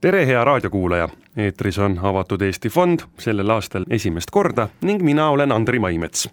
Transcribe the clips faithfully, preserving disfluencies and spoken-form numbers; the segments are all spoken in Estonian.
Tere, hea raadiokuulaja! Eetris on Avatud Eesti Fond sellel aastal esimest korda ning mina olen Andri Maimets.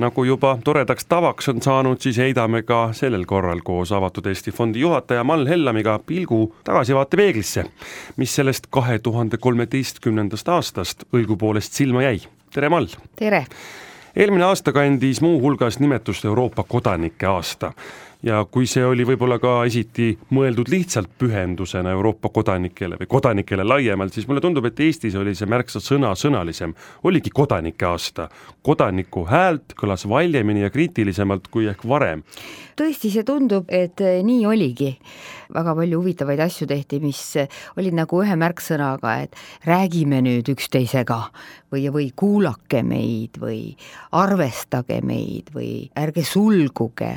Nagu juba toredaks tavaks on saanud, siis heidame ka sellel korral koos Avatud Eesti Fondi juhataja Mall Hellamiga pilgu tagasivaate peeglisse, mis sellest kahe tuhande kolmeteistkümnendast aastast õigupoolest silma jäi. Tere, Mall! Tere! Eelmine aasta kandis muu hulgas nimetust Euroopa kodanike aasta. Ja kui see oli võib-olla ka esiti mõeldud lihtsalt pühendusena Euroopa kodanikele või kodanikele laiemalt, siis mulle tundub, et Eestis oli see märksa sõna sõnalisem. Oligi kodanike aasta. Kodaniku häält kõlas valjemini ja kriitilisemalt kui ehk varem. Tõesti, see tundub, et nii oligi. Väga palju huvitavaid asju tehti, mis olid nagu ühe märksõnaga, et räägime nüüd üksteisega või, või kuulake meid või arvestage meid või ärge sulguge.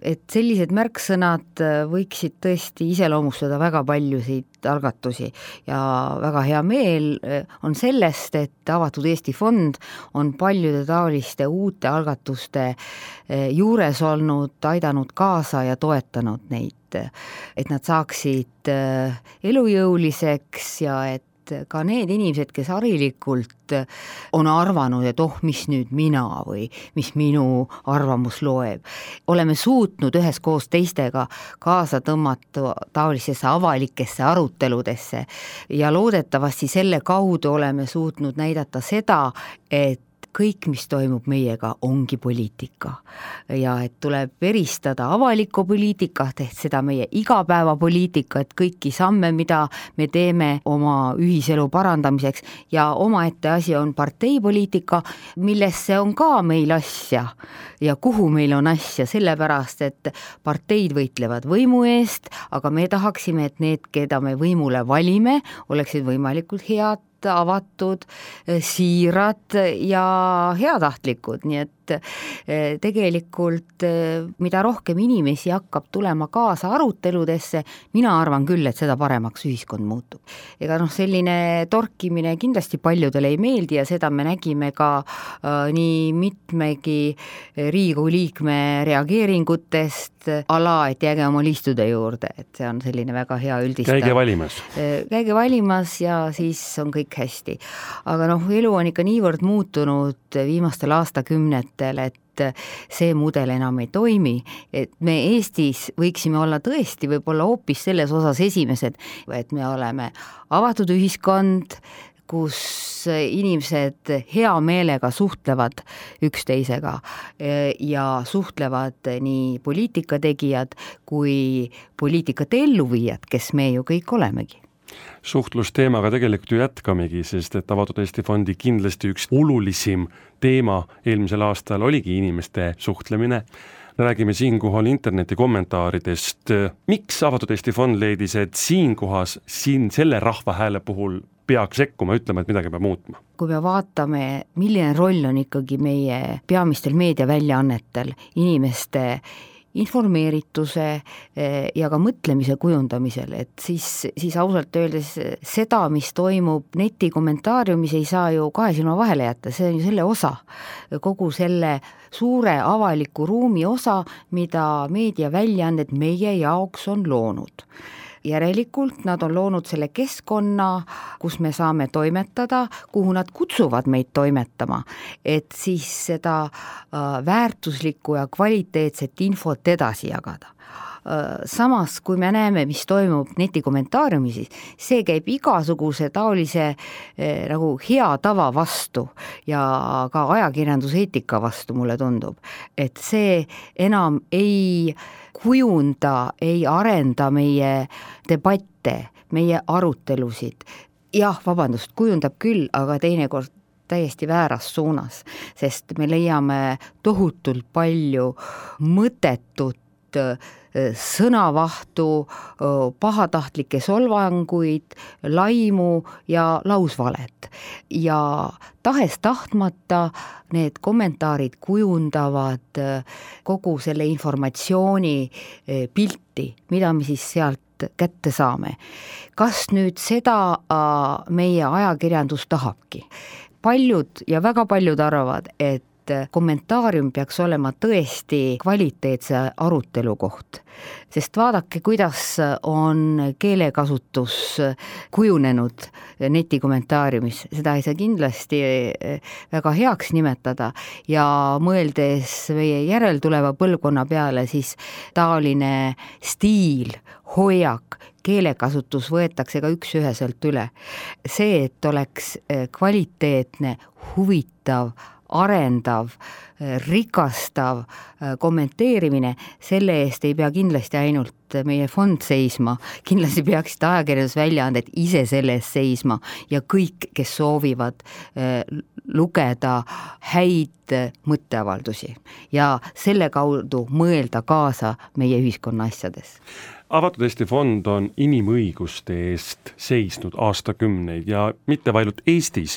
Et sellised märksõnad võiksid tõesti iseloomustada väga paljusid algatusi ja väga hea meel on sellest, et Avatud Eesti Fond on paljude taoliste uute algatuste juures olnud, aidanud kaasa ja toetanud neid, et nad saaksid elujõuliseks ja et ka need inimesed, kes harilikult on arvanud, et oh, mis nüüd mina või mis minu arvamus loeb. Oleme suutnud üheskoos teistega kaasa tõmmata taolisesse avalikesse aruteludesse ja loodetavasti selle kaudu oleme suutnud näidata seda, et kõik, mis toimub meiega, ongi poliitika ja et tuleb eristada avalikku poliitikat, ehk seda meie igapäevapoliitikat, kõiki samme, mida me teeme oma ühiselu parandamiseks ja omaette asi on parteipoliitika, millesse on ka meil asja ja kuhu meil on asja, sellepärast, et parteid võitlevad võimu eest, aga me tahaksime, et need, keda me võimule valime, oleksid võimalikult head, avatud, siirad ja heatahtlikud, nii et tegelikult mida rohkem inimesi hakkab tulema kaasa aruteludesse, mina arvan küll, et seda paremaks ühiskond muutub. Ega noh, selline torkimine kindlasti paljudele ei meeldi ja seda me nägime ka äh, nii mitmegi Riigikogu liikme reageeringutest ala, et jääge oma liistude juurde, et see on selline väga hea üldistav. Käige valimas. Käige valimas ja siis on kõik hästi. Aga noh, elu on ikka niivõrd muutunud viimastel aastakümnetel, et see mudel enam ei toimi, et me Eestis võiksime olla tõesti võib-olla hoopis selles osas esimesed, et me oleme avatud ühiskond, kus inimesed hea meelega suhtlevad üksteisega ja suhtlevad nii poliitikategijad kui poliitikate elluviijad, kes me ju kõik olemegi. Suhtlusteemaga tegelikult ju jätkamegi, sest et Avatud Eesti Fondi kindlasti üks olulisim teema eelmisel aastal oligi inimeste suhtlemine. Räägime siinkohal interneti kommentaaridest. Miks Avatud Eesti Fond leidis, et siinkohas siin selle rahvahääle puhul peaks sekkuma, ütlema, et midagi peab muutma? Kui me vaatame, milline roll on ikkagi meie peamistel meediaväljaannetel inimeste informeerituse ja ka mõtlemise kujundamisel, et siis, siis ausalt öeldes seda, mis toimub neti kommentaariumis, ei saa ju kahe silma vahele jätta, see on ju selle osa, kogu selle suure avaliku ruumi osa, mida meediaväljaanded meie jaoks on loonud. Järelikult nad on loonud selle keskkonna, kus me saame toimetada, kuhu nad kutsuvad meid toimetama, et siis seda väärtuslikku ja kvaliteetset infot edasi jagada. Samas, kui me näeme, mis toimub netikommentaariumis, see käib igasuguse taolise eh, nagu hea tava vastu ja ka ajakirjanduseetika vastu, mulle tundub, et see enam ei kujunda, ei arenda meie debatte, meie arutelusid. Jah, vabandust, kujundab küll, aga teinekord täiesti vääras suunas, sest me leiame tohutult palju mõttetut sõnavahtu, pahatahtlikke solvanguid, laimu ja lausvalet. Ja tahes tahtmata need kommentaarid kujundavad kogu selle informatsiooni pilti, mida me siis sealt kätte saame. Kas nüüd seda meie ajakirjandus tahabki? Paljud ja väga paljud arvavad, et kommentaarium peaks olema tõesti kvaliteetse arutelu koht. Sest vaadake, kuidas on keelekasutus kujunenud netikommentaariumis, seda ei saa kindlasti väga heaks nimetada ja mõeldes meie järeltuleva põlvkonna peale, siis taoline stiil, hoiak, keelekasutus võetakse ka üks-üheselt üle. See, et oleks kvaliteetne, huvitav, arendav, rikastav kommenteerimine, selle eest ei pea kindlasti ainult meie fond seisma, kindlasti peaksid ajakirjandusväljaanded ise selle eest seisma ja kõik, kes soovivad lugeda häid mõtteavaldusi ja selle kaudu mõelda kaasa meie ühiskonna asjades. Avatud Eesti fond on inimõiguste eest seisnud aastakümneid ja mitte vaid Eestis.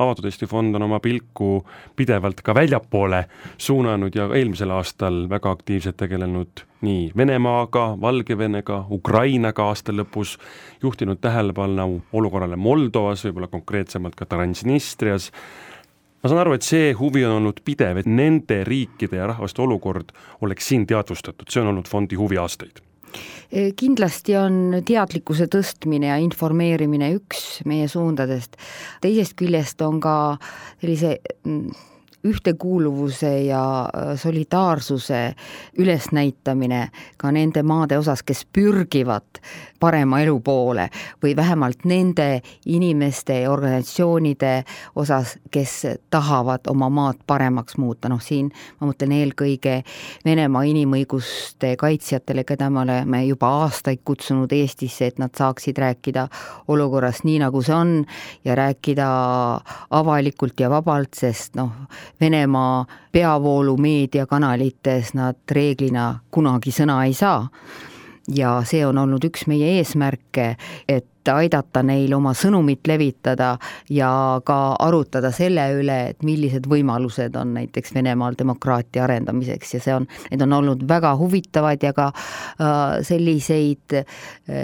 Avatud Eesti fond on oma pilku pidevalt ka väljapoole suunanud ja eelmisel aastal väga aktiivselt tegelenud nii Venemaaga, Valgevenega, Ukrainaga aasta lõpus, juhtinud tähelepanu olukorrale Moldovas, võib-olla konkreetsemalt ka Transnistrias. Ma saan aru, et see huvi on olnud pidev, et nende riikide ja rahvaste olukord oleks siin teadvustatud. See on olnud fondi huvi aastaid. Kindlasti on teadlikkuse tõstmine ja informeerimine üks meie suundadest. Teisest küljest on ka sellise ühtekuuluvuse ja solidaarsuse ülesnäitamine ka nende maade osas, kes pürgivad parema elu poole või vähemalt nende inimeste ja organisatsioonide osas, kes tahavad oma maad paremaks muuta. Noh, siin ma mõtlen eelkõige Venemaa inimõiguste kaitsjatele, keda me oleme juba aastaid kutsunud Eestisse, et nad saaksid rääkida olukorrast nii, nagu see on ja rääkida avalikult ja vabalt, sest noh, Venemaa peavoolu meediakanalites nad reeglina kunagi sõna ei saa. Ja see on olnud üks meie eesmärke, et aidata neil oma sõnumit levitada ja ka arutada selle üle, et millised võimalused on näiteks Venemaal demokraatia arendamiseks ja see on, need on olnud väga huvitavad ja ka äh, selliseid äh,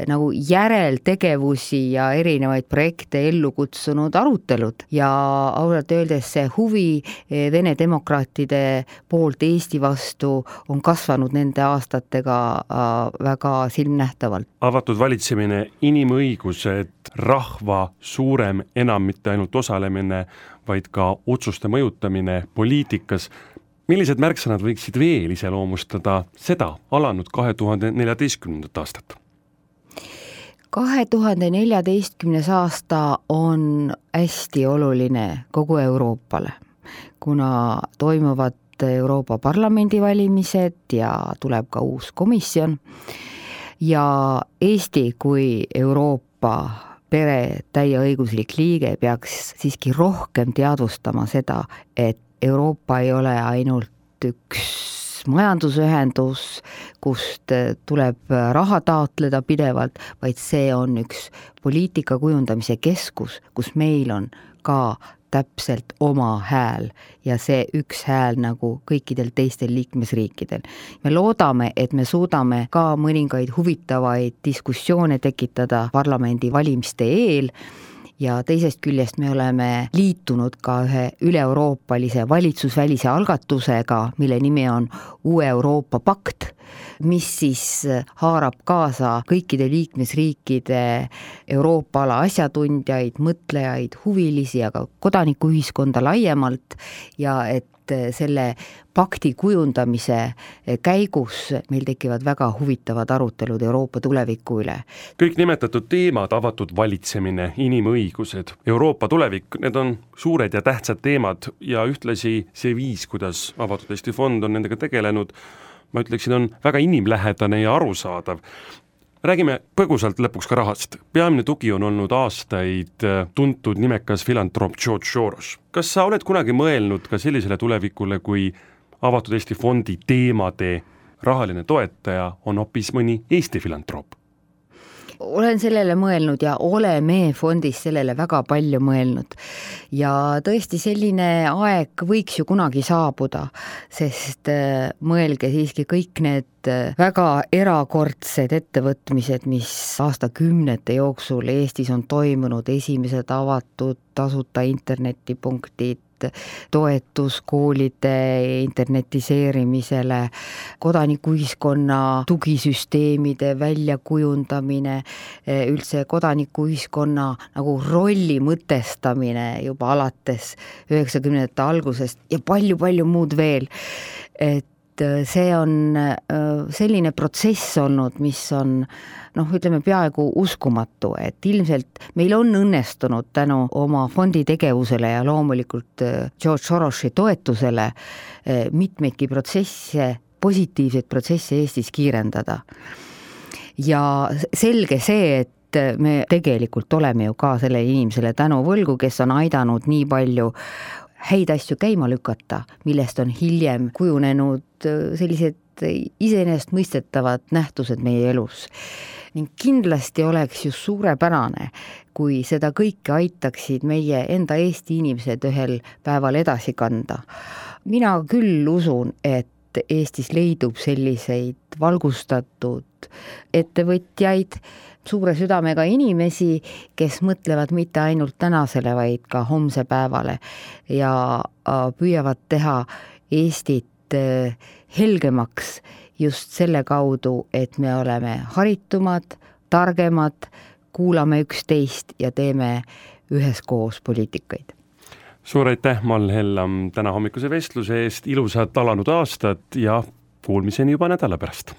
nagu järeltegevusi ja erinevaid projekte ellu kutsunud arutelud ja ausalt öeldes see huvi Vene demokraatide poolt Eesti vastu on kasvanud nende aastatega äh, väga silmnähtavalt. Avatud valitsemine, inimõigus, et rahva suurem enam mitte ainult osalemine, vaid ka otsuste mõjutamine poliitikas. Millised märksõnad võiksid veel iseloomustada seda alanud kahe tuhande neljateistkümnendat aastat? kahe tuhande neljateistkümnes aasta on hästi oluline kogu Euroopale, kuna toimuvad Euroopa Parlamendi valimised ja tuleb ka uus komisjon ja Eesti kui Euroopa pere täieõiguslik liige peaks siiski rohkem teadvustama seda, et Euroopa ei ole ainult üks majandusühendus, kust tuleb raha taotleda pidevalt, vaid see on üks poliitika kujundamise keskus, kus meil on ka täpselt oma hääl ja see üks hääl nagu kõikidel teistel liikmesriikidel. Me loodame, et me suudame ka mõningaid huvitavaid diskussioone tekitada parlamendi valimiste eel ja teisest küljest me oleme liitunud ka ühe üle-euroopalise valitsusvälise algatusega, mille nimi on Uue Euroopa pakt, mis siis haarab kaasa kõikide liikmesriikide Euroopa ala asjatundjaid, mõtlejaid, huvilisi, aga kodanikuühiskonda laiemalt ja et selle pakti kujundamise käigus meil tekivad väga huvitavad arutelud Euroopa tuleviku üle. Kõik nimetatud teemad, avatud valitsemine, inimõigused, Euroopa tulevik, need on suured ja tähtsad teemad ja ühtlasi see viis, kuidas Avatud Eesti fond on nendega tegelenud, ma ütleksin, on väga inimlähedane ja arusaadav. Räägime põgusalt lõpuks ka rahast. Peamine tugi on olnud aastaid tuntud nimekas filantroop George Soros. Kas sa oled kunagi mõelnud ka sellisele tulevikule, kui Avatud Eesti fondi teemade rahaline toetaja on hoopis mõni Eesti filantroop? Olen sellele mõelnud ja oleme fondis sellele väga palju mõelnud ja tõesti selline aeg võiks ju kunagi saabuda, sest mõelge siiski kõik need väga erakordsed ettevõtmised, mis aastakümnete jooksul Eestis on toimunud, esimesed avatud tasuta internetipunktid, toetus koolide internetiseerimisele, kodanikuühiskonna tugisüsteemide väljakujundamine, üldse kodanikuühiskonna nagu rolli mõtestamine juba alates üheksakümnendate algusest ja palju-palju muud veel. Et see on selline protsess olnud, mis on noh, ütleme peaaegu uskumatu, et ilmselt meil on õnnestunud tänu oma fondi tegevusele ja loomulikult George Sorosi toetusele mitmeidki protsesse, positiivseid protsesse Eestis kiirendada. Ja selge see, et me tegelikult oleme ju ka selle inimesele tänu võlgu, kes on aidanud nii palju häid asju käima lükata, millest on hiljem kujunenud sellised iseenesestmõistetavad nähtused meie elus. Ning kindlasti oleks just suurepärane, kui seda kõike aitaksid meie enda Eesti inimesed ühel päeval edasi kanda. Mina küll usun, et Eestis leidub selliseid valgustatud ettevõtjaid, suure südamega inimesi, kes mõtlevad mitte ainult tänasele, vaid ka homse päevale ja püüavad teha Eestit helgemaks just selle kaudu, et me oleme haritumad, targemad, kuulame üksteist ja teeme üheskoos poliitikaid. Suur aitäh, Mall Hellam, täna hommikuse vestluse eest, ilusat alanud aastat ja kuulmiseni juba nädala pärast.